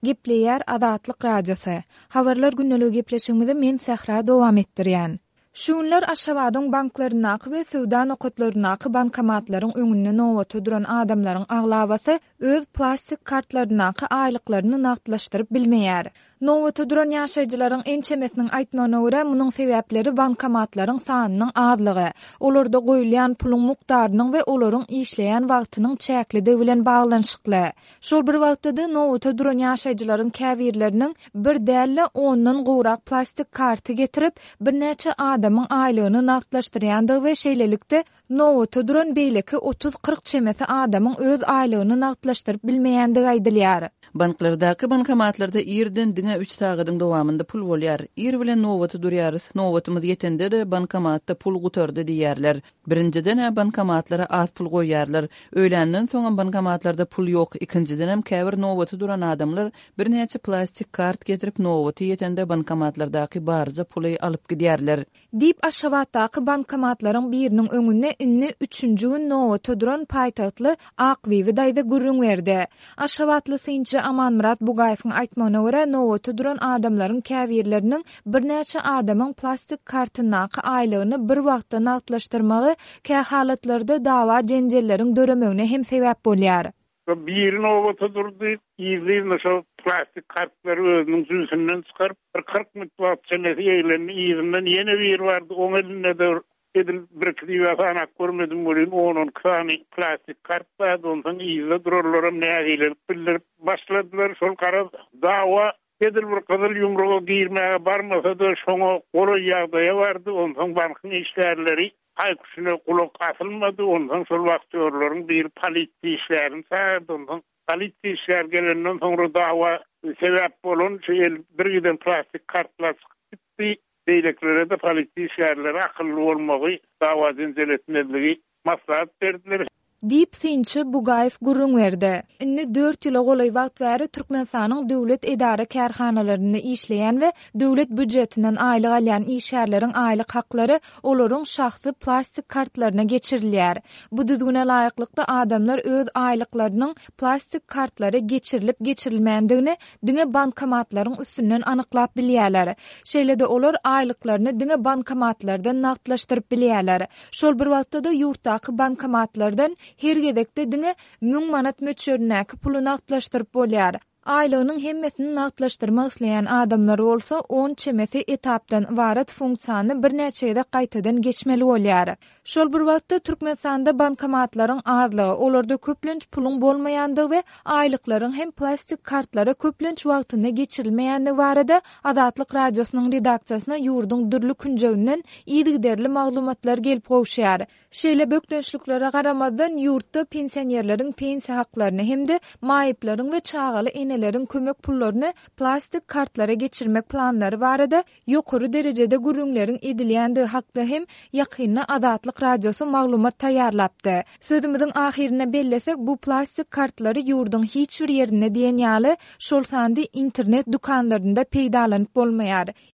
Gepleýär Azatlyk Radiosy. Habarlar gündeligi gepleşigimizi men Sähra dowam etdirýän. Şu günler Aşgabadyň banklaryndaky we söwda nokatlaryndaky bankomatlaryň öňünde nobata duran adamlaryň aglabasy öz plastik kartlaryndaky aýlyklaryny nagtlaşdyryp bilmeýär. Nobata duran ýaşaýjylaryň ençemesiniň aýtmagyna görä, munuň sebäpleri bankomatlaryň sanynyň azlygy, olarda goýulýan puluň mukdarynyň we olaryň işleýän wagtynyň çäklidigi bilen baglanyşykly. Şol bir wagtda-da, nobata duran ýaşaýjylaryň käbirleriniň bir däl-de, ondan gowrak plastik karty getirip, birnäçe adamyň aýlygyny nagtlaşdyrýandygy we şeýlelikde, Nobata duran beýleki otuz-kyrk çemesi adamyň öz aýlygyny nagtlaşdyryp bilmeýändigi aýdylýar. Banklardaky bankomatlarda irden diňe üç sagadyň dowamynda pul bolýar. Ir bilen nobata durýarys, nobatymyz ýetende-de bankomatda pul gutardy diýýärler. Birinjiden-ä bankomatlara az pul goýýarlar. Öýländen soňam bankomatlarda pul ýok. Ikinjidenem käbir nobata duran adamlar birnäçe plastik kart getirip nobaty ýetende bankomatlardaky barja puly alyp gidýärler. Diýip, Aşgabatdaky bankomatlaryň biriniň öňünde indi üçünji gün nobata duran paýtagtly Akbibi daýza gürrüň berdi. Aşgabatly synçy Amanmyrat Bugaýewiň aýtmagyna görä, nobata duran adamlaryň käbirleriniň birnäçe adamyň plastik kartyndaky aýlygyny bir wagtda nagtlaşdyrmagy kähalatlarda dawa-jenjelleriň döremegine hem sebäp bolýar. Şo biri nobata durdy, yzly-yzyna şo plastik kartlary özüniň jübüsinden çykaryp, bir 40 minut wagt çemesi eglendi, yzyndan ýene biri bardy, oň elinde-de bir edil birki diýip-ä sanap görmedim welin, on-on iki sany plastik kart bardy, onsoň yzda duranlaram nägilelik bildirip başladylar, şol garaz dawa edil bir gyzyl ýumruga girmäge barmasa-da, şoňa golaý ýagdaýa bardy, onsoň bankyň işgärleri Haý-küşüne gulak asylmady, onsoň şol wahtýorlaryň biri polisiýa işgärini çagyrdy, onsoň polisiýa işgäri gelenden soňra dawa sebäp bolan şu el bir giden plastik kartlar çykyp gitdi, beýlekilere-de polisiýa işgärleri akylly bolmagy, dawa-jenjel etmezligi maslahat berdiler. Diýip, synçy Bugaýew gürrüň berdi. Indi dört ýyla golaý wagt bäri Türkmenistanyň döwlet edara-kärhanalarynda işleýän we döwlet býujetinden aýlyk alýan işgärleriň aýlyk haklary olaryň şahsy plastik kartlaryna geçirilýär. Bu düzgüne laýyklykda, adamlar öz aýlyklarynyň plastik kartlara geçirilip-geçirilmändigini diňe bankomatlaryň üstünden anyklap bilýärler. Şeýle-de olar aýlyklaryny diňe bankomatlardan nagtlaşdyryp bilýärler. Şol bir wagtda-da ýurtdaky bankomatlardan her gezekde diňe müň manat möçberindäki puly nagtlaşdyryp bolýar. Aýlygynyň hemmesini nagtlaşdyrmak isleýän adamlar bolsa on çemesi etapdan ybarat funksiýany birnäçe gezek gaýtadan geçmeli bolýar. Şol bir wagtda, Türkmenistanda bankomatlaryň azlygy, olarda köplenç puluň bolmaýandygy we aýlyklaryň hem plastik kartlara köplenç wagtynda geçirilmeýändigi barada Azatlyk Radiosynyň redaksiýasyna ýurduň dürli künjeginden yzygiderli maglumatlar gelip gowuşýar. Şeýle bökdençliklere garamazdan, ýurtda pensionerleriň pensiýa haklaryny hem-de maýyplaryň we çagaly eneleriň kömek pullaryny plastik kartlara geçirmek planlary barada ýokary derejede gürrüňleriň edilýändigi hakda hem ýakynda Azatlyk Radiosy maglumat taýýarlapdy. Sözümiziň ahyrynda bellesek, bu plastik kartlary ýurduň hiç bir ýerinde diýen ýaly, şol sanda internet dükanlarynda peýdalanyp bolmaýar.